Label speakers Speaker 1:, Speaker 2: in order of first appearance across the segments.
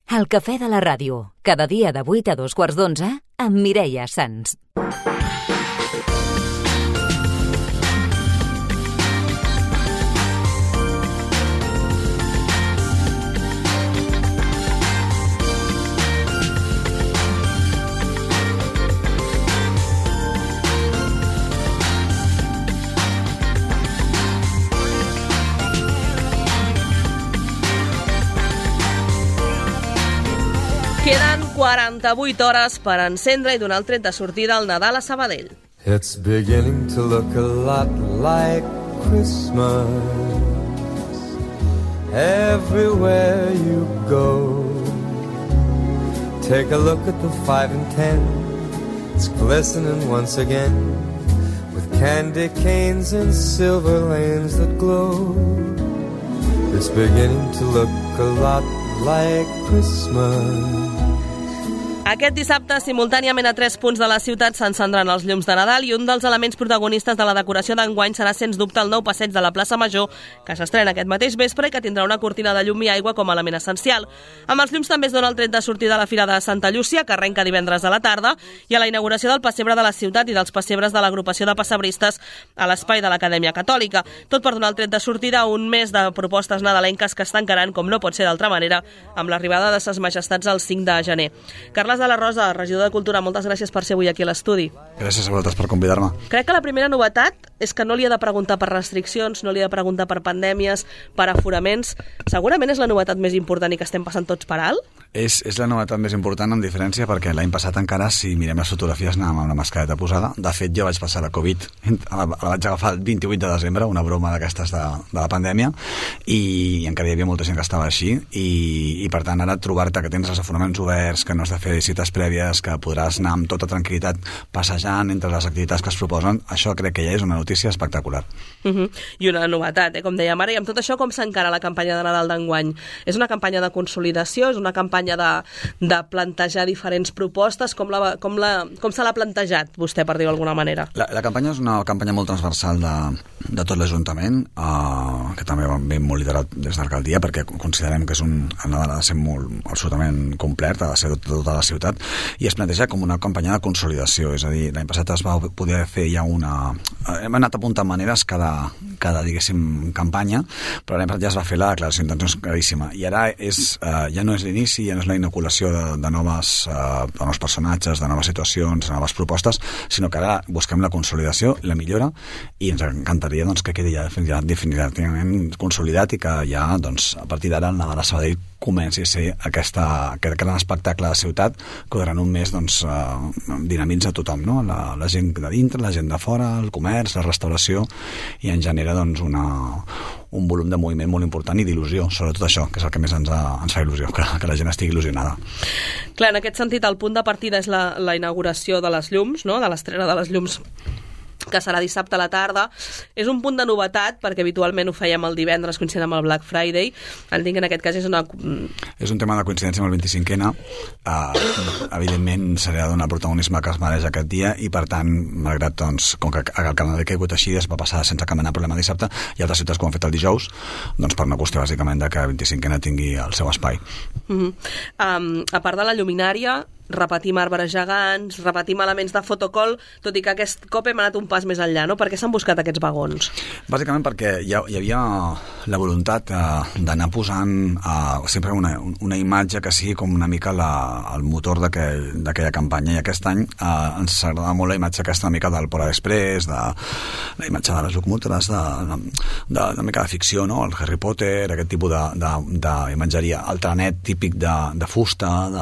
Speaker 1: El cafè de la ràdio, cada dia de 8 a 2:15 amb Mireia Sans.
Speaker 2: Queden 48 hores per encendre i donar el tret de sortida al Nadal a Sabadell.
Speaker 3: It's beginning to look a lot like Christmas everywhere you go. Take a look at the 5 and 10. It's glistening once again with candy canes and silver lanes that glow. It's beginning to look a lot like Christmas.
Speaker 2: Aquest dissabte, simultàniament a 3 punts de la ciutat s'encendran els llums de Nadal i un dels elements protagonistes de la decoració d'enguany serà, sens dubte, el nou passeig de la plaça Major, que s'estrena aquest mateix vespre i que tindrà una cortina de llum i aigua com a element essencial. Amb els llums també es dona el tret de sortida a la Fira de Santa Llúcia, que arrenca divendres a la tarda, i a la inauguració del pessebre de la ciutat i dels pessebres de l'agrupació de pessebristes a l'espai de l'Acadèmia Catòlica. Tot per donar el tret de sortida a un mes de propostes nadalenques que es tancaran, com no pot ser d'altra manera, amb l'arribada de Ses Majestats el 5 de gener. Carles de la Rosa, regidor de Cultura, moltes gràcies per ser avui aquí a l'estudi.
Speaker 4: Gràcies a vosaltres per convidar-me.
Speaker 2: Crec que la primera novetat és que no li he de preguntar per restriccions, no li he de preguntar per pandèmies, per aforaments. Segurament és la novetat més important i que estem passant tots per alt?
Speaker 4: És la novetat més important, amb diferència, perquè l'any passat encara, si mirem les fotografies, anàvem amb la mascareta posada. De fet, jo vaig passar la Covid, la vaig agafar el 28 de desembre, una broma d'aquestes de la pandèmia, i encara hi havia molta gent que estava així, i per tant, ara trobar-te que tens els aforaments oberts, que no has de fer cites prèvies, que podràs anar amb tota tranquil·litat passejant entre les activitats que es proposen, això crec que ja és una notícia espectacular.
Speaker 2: I una novetat, com dèiem ara, i amb tot això com s'encara la campanya de Nadal d'enguany? És una campanya de consolidació, és una campanya de plantejar diferents propostes, com se l'ha plantejat vostè, per dir-ho d'alguna manera?
Speaker 4: La campanya és una campanya molt transversal de tot l'Ajuntament, que també ve molt liderat des de l'alcaldia, perquè considerem que el Nadal ha de ser absolutament complet, ha de ser tota la ciutat, i es planteja com una campanya de consolidació, és a dir, l'any passat es va poder fer ja hem anat apuntant maneres cada diguéssim, campanya, però l'any passat ja es va fer la declaració d'intencions claríssima, i ara ja no és l'inici, ja no és la inoculació de nous personatges, de noves situacions, de noves propostes, sinó que ara busquem la consolidació, la millora, i ens encantaria que quedi ja definitivament consolidat i que ja, a partir d'ara, el Nadal a Sabadell comenci a ser aquest gran espectacle de ciutat que durant un mes dinamitza tothom, no? La gent de dintre, la gent de fora, el comerç, la restauració, i en genera un volum de moviment molt important i d'il·lusió, sobretot això, que és el que més ens fa il·lusió, que la gent estigui il·lusionada.
Speaker 2: Clar, en aquest sentit, el punt de partida és la inauguració de les llums, no? De l'estrena de les llums, que serà dissabte a la tarda. És un punt de novetat, perquè habitualment ho fèiem el divendres, coincidint amb el Black Friday. Entenc que en aquest cas és
Speaker 4: un tema de coincidència amb el 25N. Evidentment, s'ha de donar el protagonisme que es mereix aquest dia, i per tant, malgrat, com que el calendari que ha hagut així, es va passar sense cap mena de problema dissabte, i altres ciutats que ho han fet el dijous, per una qüestió, bàsicament, de que el 25N tingui el seu espai.
Speaker 2: A part de la lluminària, repetim arbres gegants, repetim elements de fotocol, tot i que aquest cop hem anat un pas més enllà, no? Per què s'han buscat aquests vagons?
Speaker 4: Bàsicament perquè hi havia la voluntat d'anar posant sempre una imatge que sigui com una mica el motor d'aquella campanya, i aquest any ens agradava molt la imatge aquesta una mica del Polar Express, la imatge de les locomotores, de mica de ficció, no? El Harry Potter, aquest tipus d'imatgeria, el trenet típic de fusta,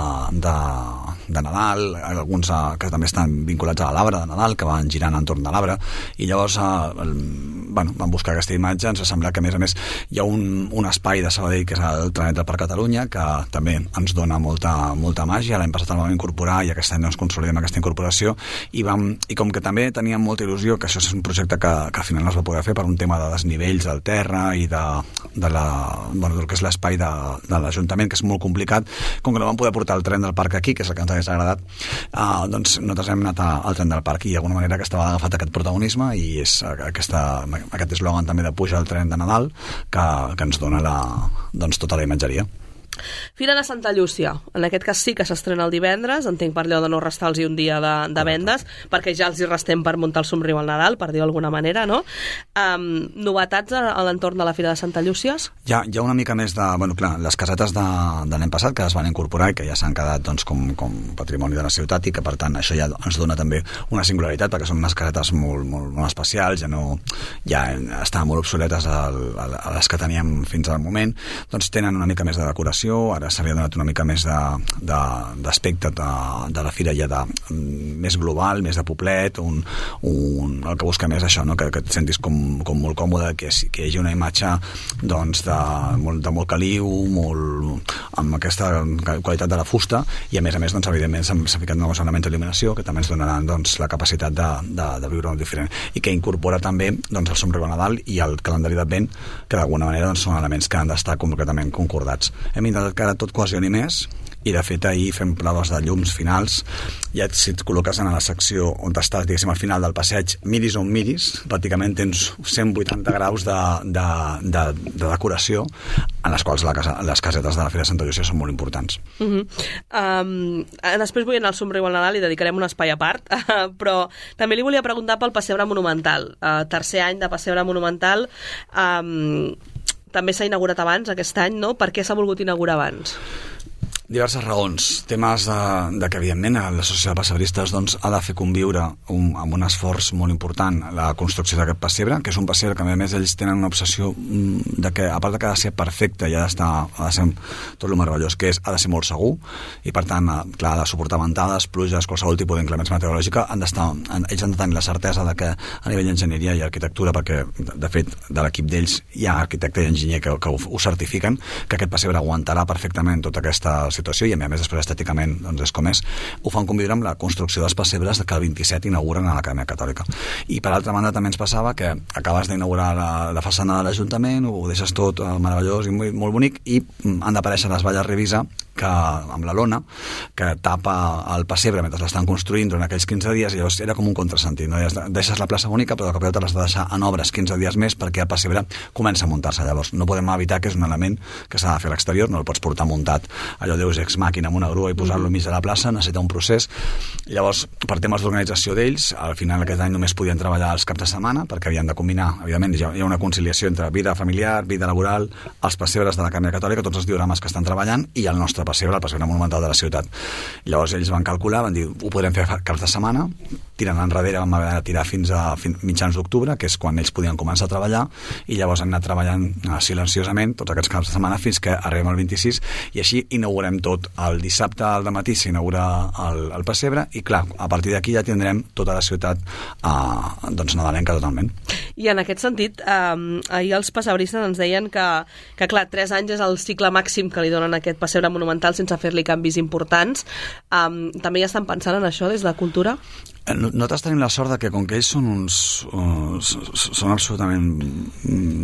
Speaker 4: de Nadal, alguns que també estan vinculats a l'arbre de Nadal, que van girant entorn de l'arbre, i llavors van buscar aquesta imatge. Ens ha semblat que, a més, hi ha un espai de Sabadell, que és el Trenet del Parc Catalunya, que també ens dona molta màgia. L'any passat el vam incorporar, i aquest any consolidem aquesta incorporació, i com que també teníem molta il·lusió, que això és un projecte que al final no es va poder fer per un tema de desnivells del terra i del que és l'espai de l'Ajuntament, que és molt complicat, com que no vam poder portar el tren del parc aquí, que és el que ens hagués agradat, nosaltres hem anat al tren del parc, i d'alguna manera aquesta vegada ha agafat aquest protagonisme, i és aquest eslògan també de puja al tren de Nadal que ens dona tota la imatgeria.
Speaker 2: Fira de Santa Llúcia, en aquest cas sí que s'estrena el divendres, entenc per allò de no restar-los un dia de vendes, perquè ja els hi restem per muntar el somriu al Nadal, per dir-ho d'alguna manera, no? Novetats a l'entorn de la Fira de Santa Llúcia?
Speaker 4: Hi ha una mica més de... Bueno, clar, les casetes de l'any passat que es van incorporar i que ja s'han quedat doncs, com patrimoni de la ciutat i que per tant això ja ens dona també una singularitat perquè són unes casetes molt especials, ja estaven molt obsoletes a les que teníem fins al moment, doncs tenen una mica més de decoració. Ara s'havia donat una mica més d'aspecte de la fira ja més global, més de poblet, el que busca més això, no? que et sentis com molt còmode, que hi hagi una imatge doncs, de molt caliu, amb aquesta qualitat de la fusta, i a més doncs, evidentment s'ha ficat nous elements d'il·luminació que també ens donaran doncs, la capacitat de viure molt diferent, i que incorpora també doncs, el somriu a Nadal i el calendari d'Advent, que d'alguna manera doncs, són elements que han d'estar completament concordats. Hem intentat que ara tot quasi més, i de fet ahir fem proves de llums finals. Ja si et col·loques en la secció on estàs, diguéssim, al final del passeig, miris on miris, pràcticament tens 180 graus de decoració, en les quals les casetes de la Fira de Santa Llúcia són molt importants.
Speaker 2: Després vull anar al somriu al Nadal i dedicarem un espai a part, però també li volia preguntar pel Pessebre Monumental. Tercer any de Pessebre Monumental, també s'ha inaugurat abans aquest any, no? Per què s'ha volgut inaugurar abans?
Speaker 4: Diverses raons. Temes de que, evidentment, l'associació de pessebristes doncs, ha de fer conviure amb un esforç molt important la construcció d'aquest pessebre, que és un pessebre que, a més, ells tenen una obsessió de que, a part de que ha de ser perfecte i ha de ser tot el meravellós que és, ha de ser molt segur, i, per tant, clar, ha de suportar ventades, pluges, qualsevol tipus d'inclemència meteorològica, ells han de tenir la certesa de que a nivell d'enginyeria i arquitectura, perquè, de fet, de l'equip d'ells hi ha arquitecte i enginyer que ho certifiquen, que aquest pessebre aguantarà perfectament tota aquesta situació, i a més després estèticament doncs és com és, ho fan conviure amb la construcció dels pessebres que el 27 inauguren a l'Acadèmia Catòlica. I per altra banda també ens passava que acabes d'inaugurar la façana de l'Ajuntament, ho deixes tot meravellós i molt bonic, i han d'aparèixer les valles Revisa amb la lona que tapa el pessebre mentre l'estan construint durant aquells 15 dies, i llavors era com un contrasentit, no? Deixes la plaça bonica però de cop i volta l'has de deixar en obres 15 dies més perquè el pessebre comença a muntar-se. Llavors no podem evitar que és un element que s'ha de fer a l'exterior, no el pots portar muntat allò deus ex màquina amb una grua i posar-lo mig de la plaça, necessita un procés. Llavors, per temes d'organització d'ells, al final aquest any només podien treballar els caps de setmana perquè havien de combinar, evidentment, hi ha una conciliació entre vida familiar, vida laboral, els pessebres de l'Acadèmia Catòlica, tots els diorames que estan treballant, i el nostre pessebre, el pessebre monumental de la ciutat. Llavors ells van calcular, van dir, ho podrem fer caps de setmana, tirant enrere, vam haver de tirar fins a mitjans d'octubre, que és quan ells podien començar a treballar, i llavors han anat treballant silenciosament tots aquests caps de setmana fins que arribem al 26, i així inaugurem tot. El dissabte al dematí s'inaugura el pessebre, i clar, a partir d'aquí ja tindrem tota la ciutat doncs nadalenca totalment.
Speaker 2: I en aquest sentit, ahir els pessebristes ens deien que clar, 3 anys és el cicle màxim que li donen a aquest pessebre monumental sense fer-li canvis importants. També ja estan pensant en això des de Cultura?
Speaker 4: Nosaltres tenim la sort de que com que ells són absolutament,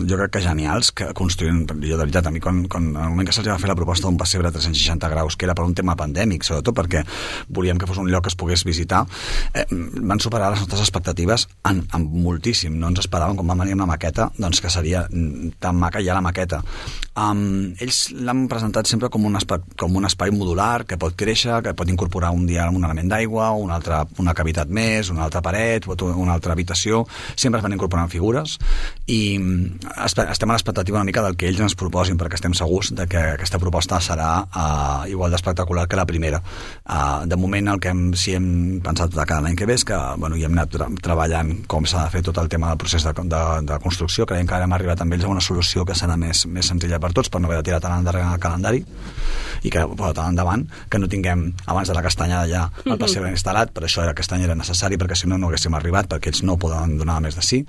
Speaker 4: jo crec que genials, que construïen, jo de veritat, a mi quan en el moment que se'ls va fer la proposta d'un pessebre a 360 graus, que era per un tema pandèmic, sobretot perquè volíem que fos un lloc que es pogués visitar, van superar les nostres expectatives en moltíssim. No ens esperàvem, quan vam venir amb la maqueta, doncs que seria tan maca ja la maqueta. Ells l'han presentat sempre com un espai modular que pot créixer, que pot incorporar un dia un element d'aigua, una cavitat més, una altra paret, una altra habitació, sempre es van incorporant figures, i estem a l'expectativa una mica del que ells ens proposin, perquè estem segurs de que aquesta proposta serà igual d'espectacular que la primera. De moment el que sí hem pensat de cada any que ve és que hi hem anat treballant com s'ha de fer tot el tema del procés de construcció. Creiem que ara hem arribat amb ells a una solució que serà més senzilla per tots, per no haver de tirar tant endarrere el calendari, i que tant endavant, que no tinguem abans de la castanyada ja el pessebre instal·lat. Per això aquest any era necessari, perquè si no haguéssim arribat, perquè ells no poden donar més de sí,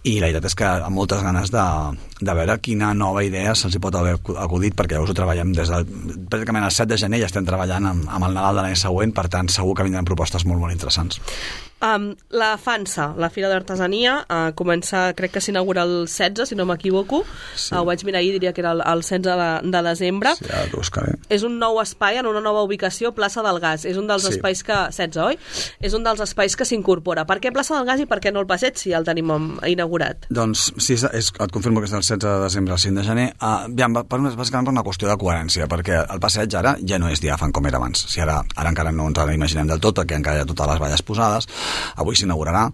Speaker 4: i la veritat és que amb moltes ganes de veure quina nova idea se'ls hi pot haver acudit, perquè llavors ho treballem pràcticament el 7 de gener, ja estem treballant amb el Nadal de l'any següent, per tant segur que vindran propostes molt, molt interessants.
Speaker 2: La FANSA, la Fira d'Artesania, comença, crec que s'inaugura el 16, si no m'equivoco. Ho vaig mirar ahir, diria que era el 16 de desembre.
Speaker 4: Sí, ara t'ho buscaré.
Speaker 2: És un nou espai en una nova ubicació, plaça del Gas. És un dels espais que... 16, oi? És un dels espais que s'incorpora. Per què plaça del Gas i per què no el Passeig, si ja el tenim inaugurat?
Speaker 4: Doncs sí, et confirmo que és del 16 de desembre al 5 de gener. Bàsicament per una qüestió de coherència, perquè el Passeig ara ja no és diàfan com era abans. Si ara encara no ens l'imaginem del tot, perquè encara hi ha totes les valles posades. Avui s'inaugurarà.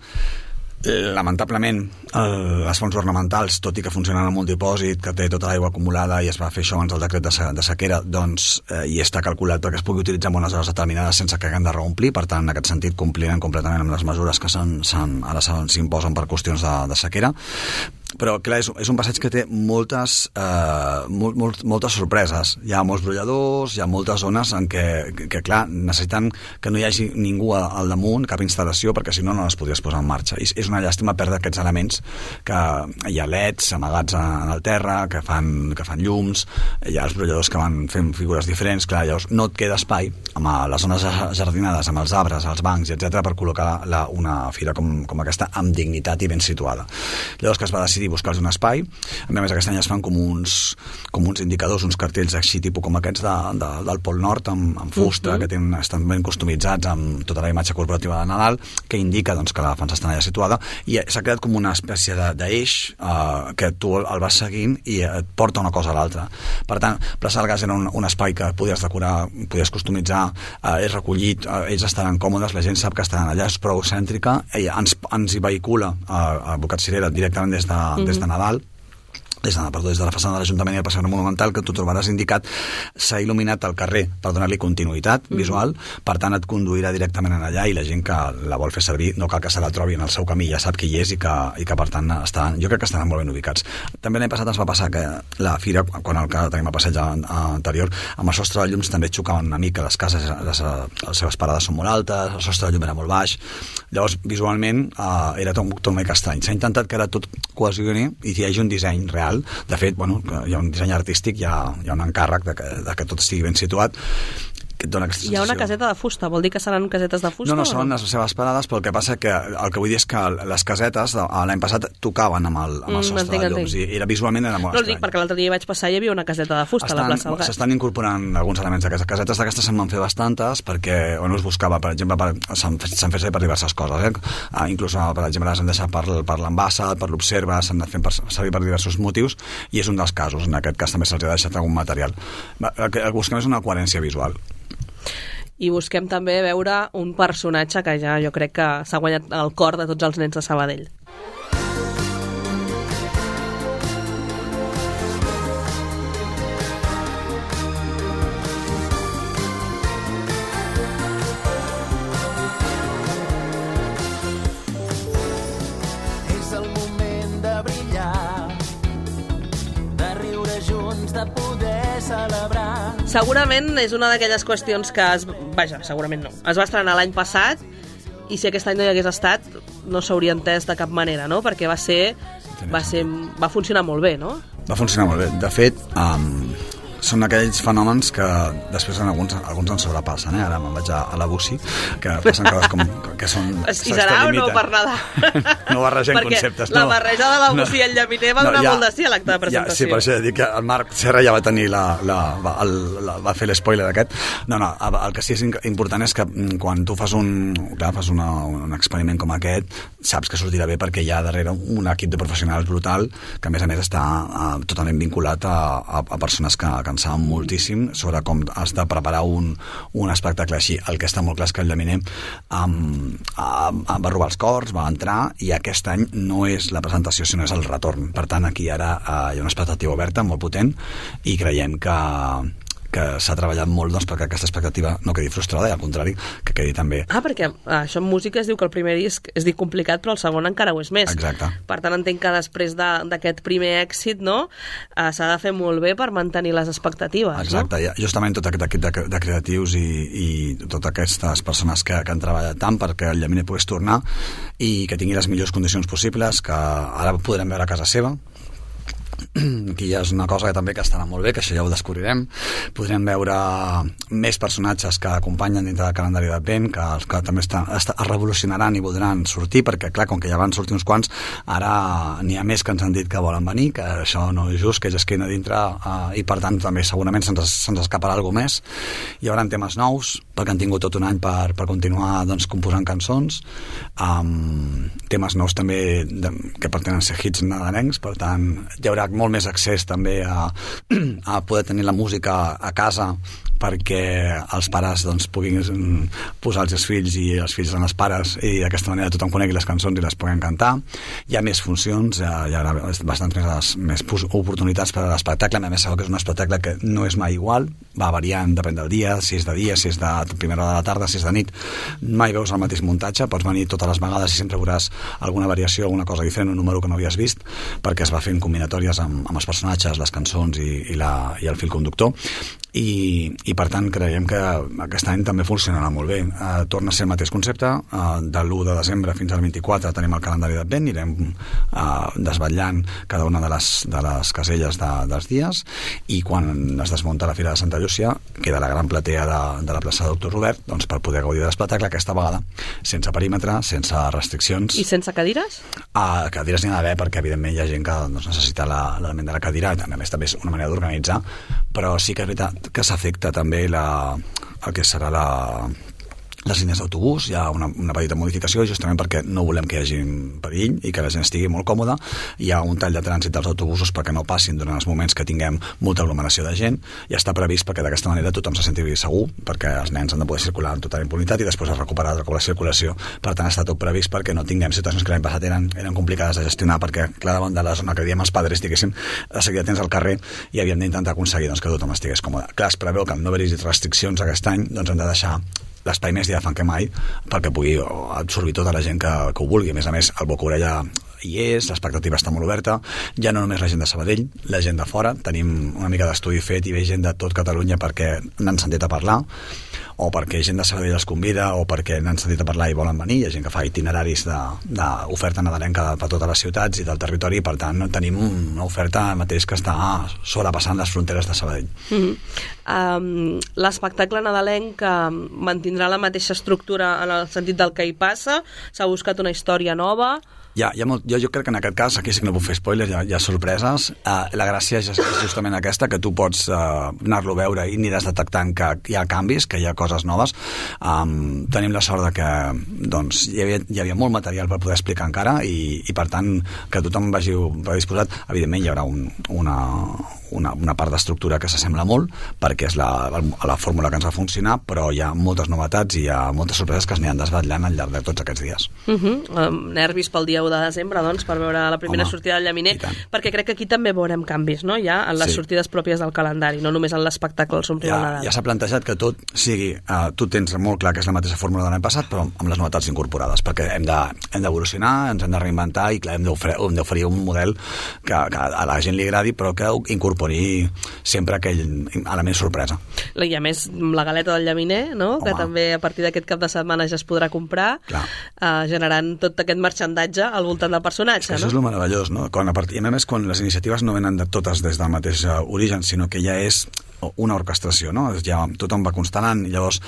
Speaker 4: Lamentablement, les fonts ornamentals, tot i que funcionen amb un dipòsit que té tota l'aigua acumulada i es va fer això abans del decret de sequera, doncs i està calculat perquè es pugui utilitzar en unes hores determinades sense que haguem de reomplir. Per tant, en aquest sentit, complirem completament amb les mesures que ara s'imposen per qüestions de sequera. Però, clar, és un passeig que té moltes sorpreses. Hi ha molts brolladors, hi ha moltes zones en què clar, necessiten que no hi hagi ningú al damunt, cap instal·lació, perquè si no, no les podries posar en marxa. I és una llàstima perdre aquests elements, que hi ha leds amagats en el terra, que fan llums, hi ha els brolladors que van fent figures diferents. Clar, llavors no et queda espai amb les zones jardinades, amb els arbres, els bancs, etc per col·locar una fira com aquesta amb dignitat i ben situada. Llavors que es va decidir buscar-los un espai. A més, aquest any es fan com uns indicadors, uns cartells així, tipus com aquests del Pol Nord, amb fusta, que estan ben customitzats amb tota la imatge corporativa de Nadal, que indica doncs, que la FANSA està allà situada, i s'ha creat com una espècie d'eix que tu el vas seguint i et porta una cosa a l'altra. Per tant, Plaça del Gas era un espai que podies decorar, podies customitzar, és recollit, ells estaran còmodes, la gent sap que estaran allà, és prou cèntrica, ens hi vehicula a Bocat Cirera directament des de Nadal, des de la façana de l'Ajuntament i el Passeig Monumental, que tu trobaràs indicat, s'ha il·luminat el carrer per donar-li continuïtat visual, per tant et conduirà directament allà i la gent que la vol fer servir no cal que se la trobi en el seu camí, ja sap qui hi és i que per tant jo crec que estaran molt ben ubicats. També l'any passat ens va passar que la fira, quan tenim el passeig anterior, amb el sostre de llums també xocaven una mica, les cases, les seves parades són molt altes, el sostre de llum era molt baix, llavors visualment era tot una mica estrany. S'ha intentat que ara tot cohesioni i hi hagi un disseny real. De fet, hi ha un disseny artístic, hi ha un encàrrec de que tot estigui ben situat.
Speaker 2: Hi ha una caseta de fusta, vol dir que seran casetes de fusta?
Speaker 4: No, són les seves parades, però el que passa que el que vull dir és que les casetes l'any passat tocaven amb el sostre de llums i visualment era molt estrany.
Speaker 2: No, dic perquè l'altre dia vaig passar i hi havia una caseta de fusta a la plaça del Gas.
Speaker 4: S'estan incorporant alguns elements d'aquestes casetes, d'aquestes se'n van fer bastantes perquè es buscava, per exemple, s'han fet servir per diverses coses, inclús, per exemple, les han deixat per l'embassa, per l'observa, s'han anat fent servir per diversos motius i és un dels casos, en aquest cas també se'ls ha deixat algun material. El que busquem és una coherència visual.
Speaker 2: I busquem també veure un personatge que ja jo crec que s'ha guanyat el cor de tots els nens de Sabadell.
Speaker 5: És el moment de brillar, de riure junts, de poder celebrar.
Speaker 2: Segurament és una d'aquelles qüestions que segurament no. Es va estrenar l'any passat i si aquest any no hi hagués estat no s'hauria entès de cap manera, no? Perquè va funcionar molt bé, no?
Speaker 4: Va funcionar molt bé. De fet, són aquells fenòmens que després alguns ens sobrepassen, ara me'n vaig a la Bussi, que passen coses que són...
Speaker 2: I serà o no per Nadal?
Speaker 4: No barregem conceptes.
Speaker 2: Perquè la barreja de la Bussi i el llaminer va donar molt de sí a l'acte de presentació.
Speaker 4: Sí, per això dic que el Marc Serra ja va tenir va fer l'espoiler d'aquest. No, el que sí és important és que quan tu fas un experiment com aquest, saps que sortirà bé perquè hi ha darrere un equip de professionals brutal que a més està totalment vinculat a persones que en saben moltíssim sobre com has de preparar un espectacle així. El que està molt clar és que el llaminer va robar els cors, va entrar i aquest any no és la presentació sinó és el retorn. Per tant, aquí ara hi ha una expectativa oberta molt potent i creiem que s'ha treballat molt perquè aquesta expectativa no quedi frustrada i al contrari, que quedi també...
Speaker 2: perquè això en música es diu que el primer disc es diu complicat però el segon encara ho és més.
Speaker 4: Exacte.
Speaker 2: Per tant, entenc que després d'aquest primer èxit, no, s'ha de fer molt bé per mantenir les expectatives.
Speaker 4: Exacte, no? Justament tot aquest equip de creatius i totes aquestes persones que han treballat tant perquè el llaminer pogués tornar i que tingui les millors condicions possibles, que ara podrem veure a casa seva aquí ja és una cosa que també que estarà molt bé, que això ja ho descobrirem. Podrem veure més personatges que acompanyen dintre del calendari d'Advent, que també es revolucionaran i voldran sortir, perquè clar, com que ja van sortir uns quants, ara n'hi ha més que ens han dit que volen venir, que això no és just, que ells es queden a dintre, i per tant també segurament se'ns escaparà alguna més. Hi haurà temes nous, perquè han tingut tot un any per continuar doncs, composant cançons, temes nous també que pretenen ser hits nadalencs, per tant hi haurà molt més accés també a poder tenir la música a casa, perquè els pares doncs, puguin posar els seus fills i els fills en els pares, i d'aquesta manera tothom conegui les cançons i les puguin cantar. Hi ha més funcions, hi haurà bastants més oportunitats per a l'espectacle. A més, sabeu que és un espectacle que no és mai igual, va variant, depèn del dia, si és de dia, si és de primera hora de la tarda, si és de nit, mai veus el mateix muntatge, pots venir totes les vegades i sempre veuràs alguna variació, alguna cosa diferent, un número que no havies vist, perquè es va fent combinatòries amb els personatges, les cançons i el fil conductor, i per tant creiem que aquest any també funcionarà molt bé. Torna a ser el mateix concepte, de l'1 de desembre fins al 24 tenim el calendari d'Advent, anirem desvetllant cada una de les caselles dels dies, i quan es desmunta la Fira de Santa Llúcia queda la gran platea de la plaça de Doctor Robert, doncs, per poder gaudir de l'espectacle, aquesta vegada sense perímetre, sense restriccions.
Speaker 2: I sense cadires?
Speaker 4: Cadires n'hi ha d'haver, perquè evidentment hi ha gent que doncs, necessita l'element de la cadira, i també és una manera d'organitzar, però sí que és veritat que s'afecta també el que serà les línies d'autobús. Hi ha una petita modificació, justament perquè no volem que hi hagi perill i que la gent estigui molt còmoda. Hi ha un tall de trànsit dels autobusos perquè no passin durant els moments que tinguem molta aglomeració de gent, i està previst perquè d'aquesta manera tothom se senti segur, perquè els nens han de poder circular amb tota impunitat i després es recuperar la circulació. Per tant, està tot previst perquè no tinguem situacions que l'any passat eren complicades de gestionar, perquè clar, davant de la zona que diem els padres, diguéssim, de seguida tens al carrer i havíem d'intentar aconseguir doncs, que tothom estigués còmode. Clar, es preveu que amb no haver-hi restriccions aquest any doncs hem de deixar l'espai més diàfan que mai perquè pugui absorbir tota la gent que ho vulgui. A més, el boca-orella hi és, l'expectativa està molt oberta, ja no només la gent de Sabadell, la gent de fora, tenim una mica d'estudi fet i ve gent de tot Catalunya perquè n'han sentit a parlar, o perquè gent de Sabadell els convida, o perquè n'han sentit a parlar i volen venir. Hi ha gent que fa itineraris d'oferta nadalenca per totes les ciutats i del territori, i per tant tenim una oferta mateix que està sobrepassant les fronteres de Sabadell.
Speaker 2: L'espectacle nadalenc mantindrà la mateixa estructura en el sentit del que hi passa? S'ha buscat una història nova?
Speaker 4: Jo crec que en aquest cas, aquí sí que no puc fer spoilers, hi ha sorpreses. La gràcia és justament aquesta, que tu pots anar-lo a veure i aniràs detectant que hi ha canvis, que hi ha coses noves. Tenim la sort de que doncs, hi havia molt material per poder explicar encara, i per tant que tothom vagi disposat. Evidentment hi haurà una part d'estructura que s'assembla molt, perquè és la fórmula que ens va funcionar, però hi ha moltes novetats i hi ha moltes sorpreses que es aniran desvetllant al llarg de tots aquests dies.
Speaker 2: Nervis pel dia 1 de desembre, doncs, per veure la primera sortida del Llaminer, perquè crec que aquí també veurem canvis, no? Ja en les sortides pròpies del calendari, no només en l'espectacle del Somriure Nadal.
Speaker 4: Ja s'ha plantejat que tot sigui, tu tens molt clar que és la mateixa fórmula de l'any passat, però amb les novetats incorporades, perquè hem d'evolucionar, ens hem de reinventar, i clar, hem d'oferir un model que a la gent li agradi, però que incorpori sempre aquell element sorpresa.
Speaker 2: I a més, la galeta del Llaminer, no? Que també a partir d'aquest cap de setmana ja es podrà comprar, generant tot aquest marxandatge al voltant del personatge, no?
Speaker 4: Això és el meravellós, no? I a més, quan les iniciatives no venen de totes des del mateix origen, sinó que ja és una orquestració, no? Ja tothom va constel·lant, i llavors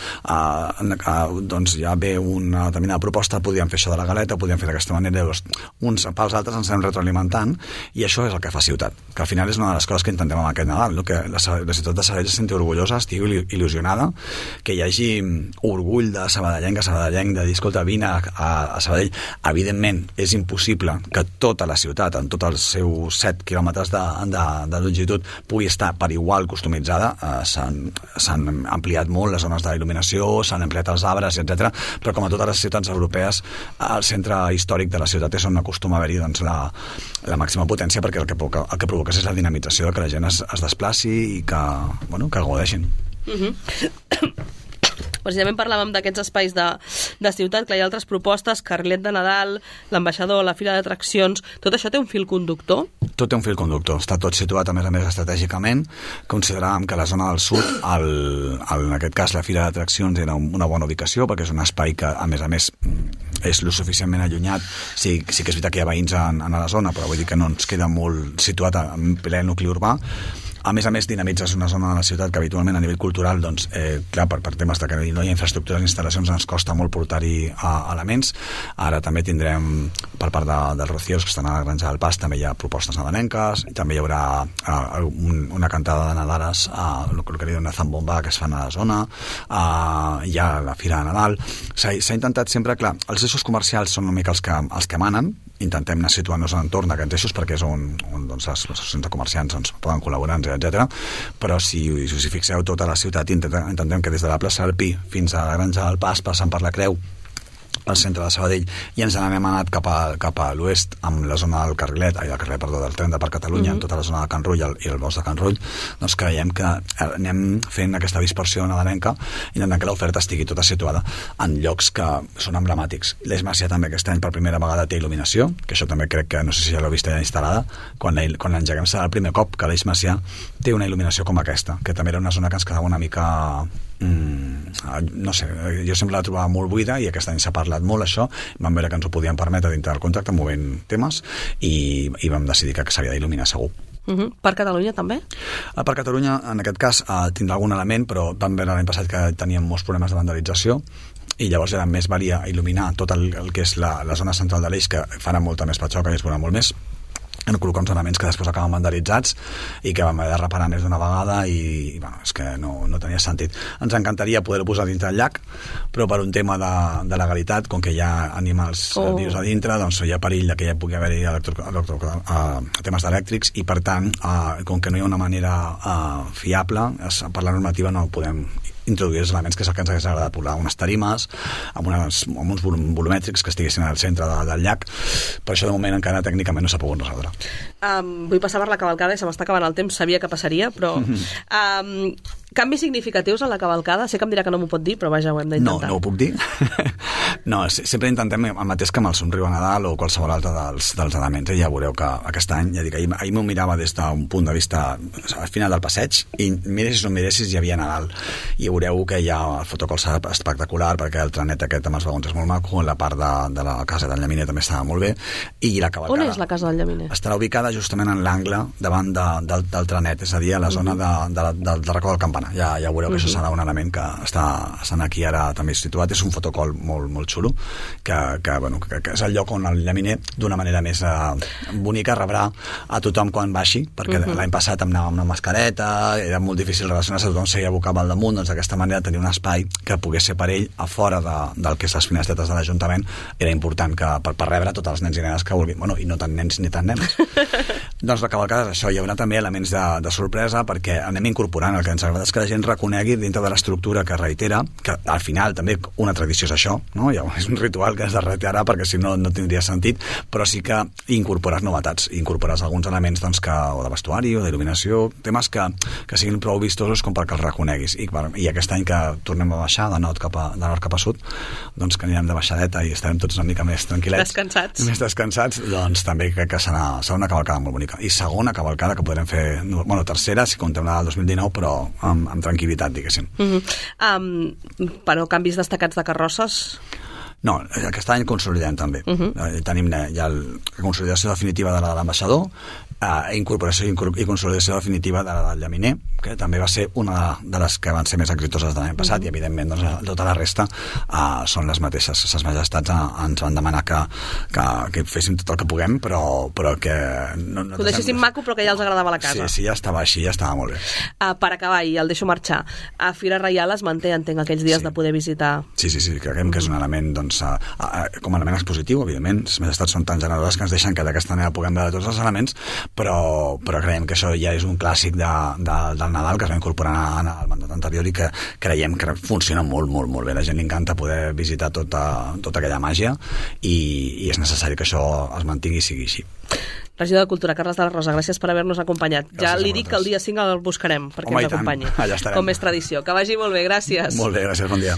Speaker 4: doncs ja ve una determinada proposta, podíem fer això de la galeta, podíem fer d'aquesta manera, llavors uns pels altres ens anem retroalimentant, i això és el que fa ciutat, que al final és una de les coses que intentem amb aquest Nadal, que la ciutat de Sabadell se senti orgullosa, estigui il·lusionada, que hi hagi orgull de sabadellenc de dir, escolta, vine a Sabadell. Evidentment és impossible que tota la ciutat, en tots els seus 7 quilòmetres de longitud, pugui estar per igual customitzada. S'han ampliat molt les zones d'il·luminació, s'han ampliat els arbres, etc. Però com a totes les ciutats europees, el centre històric de la ciutat és on acostuma a haver-hi doncs, la màxima potència, perquè el que provoca és la dinamització, que la gent es desplaci i que gaudeixin.
Speaker 2: Precisament parlàvem d'aquests espais de ciutat, que hi ha altres propostes, Carrilet de Nadal, l'ambaixador, la fira d'atraccions, tot això té un fil conductor?
Speaker 4: Tot té un fil conductor, està tot situat a més estratègicament. Consideràvem que la zona del sud, en aquest cas la fira d'atraccions, era una bona ubicació, perquè és un espai que a més és lo suficientment allunyat. Sí que és veritat que hi ha veïns a la zona, però vull dir que no ens queda molt situat en ple nucli urbà. A més, dinamitzes una zona de la ciutat que habitualment a nivell cultural, doncs, clar, per temes de que no hi ha infraestructures i instal·lacions ens costa molt portar-hi elements. Ara també tindrem, per part dels Rocíos, que estan a la Granja del Pas, també hi ha propostes nadalenques, i també hi haurà una cantada de Nadales, el que li diuen Zambomba, que es fan a la zona, hi ha la Fira de Nadal. S'ha intentat sempre, clar, els eixos comercials són una mica els que manen, intentem anar situant-nos a l'entorn d'aquests eixos perquè és on doncs, les associacions de comerciants doncs, poden col·laborar, etc. Però si us hi fixeu, tota la ciutat intentem que des de la plaça del Pi fins a la Granja del Pas, passant per la Creu, al centre de Sabadell, i ens n'hem anat cap a l'oest amb la zona del carrilet, del tren de per Catalunya, en tota la zona de Can Rull i el bosc de Can Rull, doncs creiem que anem fent aquesta dispersió nadalenca, intentant que l'oferta estigui tota situada en llocs que són emblemàtics. L'Eix Macià també aquest any per primera vegada té il·luminació, que això també crec que, no sé si ja l'heu vist ja instal·lada, quan l'engeguem serà el primer cop que l'Eix Macià té una il·luminació com aquesta, que també era una zona que ens quedava una mica... no sé, jo sempre la trobava molt buida i aquest any s'ha parlat molt això, vam veure que ens ho podíem permetre dintre del contracte movent temes i vam decidir que s'havia d'il·luminar segur.
Speaker 2: Per Catalunya també?
Speaker 4: Per Catalunya, en aquest cas, tindrà algun element, però vam veure l'any passat que teníem molts problemes de vandalització i llavors era més valia il·luminar tot el que és la zona central de l'eix, que farà molta més patxoca i es veurà molt més, en col·locar uns elements que després acaben vandalitzats i que vam haver de reparar més d'una vegada i bueno, és que no tenia sentit. Ens encantaria poder-ho posar dintre el llac, però per un tema de legalitat, com que hi ha animals vius a dintre, doncs hi ha perill que hi pugui haver-hi temes elèctrics i per tant, com que no hi ha una manera fiable, per la normativa no podem introduir els elements que és el que ens hagués agradat posar unes tarimes amb uns volumètrics que estiguessin al centre del llac, però això de moment encara tècnicament no s'ha pogut resoldre.
Speaker 2: Vull passar per la cavalcada i se m'està acabant el temps, sabia que passaria, però canvis significatius en la cavalcada, sé que em dirà que no m'ho pot dir, però vaja, ho hem d'intentar.
Speaker 4: No ho puc dir. No, sempre intentem el mateix que amb el somriu a Nadal o qualsevol altre dels elements, i ja veureu que aquest any, ja dic, ahir m'ho mirava des d'un punt de vista al final del passeig i miressis o miressis hi havia Nadal i veureu que hi ha el fotocol espectacular perquè el trenet aquest amb els vagons és molt maco, la part de la casa del Llaminer també estava molt bé i la cavalcada...
Speaker 2: On és la casa del Llaminer?
Speaker 4: Estarà ubicada justament en l'angle davant del trenet, és a dir, a la zona del racó del campanar. Ja veureu que això serà un element que estan aquí ara també situat, és un fotocol molt, molt xulo que és el lloc on el Llaminer d'una manera més bonica rebrà a tothom quan baixi, perquè l'any passat em anava amb una mascareta, era molt difícil relacionar-se, tothom seguia abocava al damunt, doncs d'aquesta manera tenir un espai que pogués ser per ell a fora del que és les finestretes de l'Ajuntament era important que per rebre tots els nens i nenes que vulguin, bueno, i no tant nens ni tant nenes. Doncs la cavalcada és això, hi haurà també elements de sorpresa perquè anem incorporant, el que ens agrada és que la gent reconegui dintre de l'estructura que reitera, que al final també una tradició és això, no? Ja, és un ritual que has de reiterar perquè si no tindria sentit, però sí que incorpores novetats, incorpores alguns elements doncs, o de vestuari o d'il·luminació, temes que siguin prou vistosos com perquè els reconeguis i aquest any que tornem a baixar de nord cap a sud, doncs que anirem de baixadeta i estarem tots una mica més tranquil·lets, més descansats, doncs també crec que serà una cavalcada molt bonica. I segona cavalcada que podrem fer, bueno, tercera si contem la del 2019, però amb tranquil·litat, diguéssim.
Speaker 2: Però canvis destacats de carrosses?
Speaker 4: No, aquest any consolidem també. Tenim ja la consolidació definitiva de la de l'ambaixador, incorporació i consolidació definitiva de la del Llaminer, que també va ser una de les que van ser més exitoses de l'any passat i evidentment doncs, tota la resta són les mateixes. Ses majestats ens van demanar que féssim tot el que puguem, però que no
Speaker 2: ho deixéssim maco però que ja els agradava la casa.
Speaker 4: Sí, ja estava així, ja estava molt bé.
Speaker 2: Per acabar, i el deixo marxar, a Fira Reial es manté, entenc, aquells dies de poder visitar.
Speaker 4: Sí, creiem que és un element doncs, com a element expositiu, evidentment, les majestats són tan generoses que ens deixen que d'aquesta manera puguem veure tots els elements, però creiem que això ja és un clàssic del Nadal que es va incorporar al mandat anterior i que creiem que funciona molt, molt, molt bé. La gent li encanta poder visitar tota aquella màgia i és necessari que això es mantingui i sigui així.
Speaker 2: Regidor de Cultura, Carles de la Rosa, gràcies per haver-nos acompanyat. Ja li dic que el dia 5 el buscarem perquè ens acompanyi. Com és tradició. Que vagi molt bé, gràcies.
Speaker 4: Molt bé, gràcies, bon dia.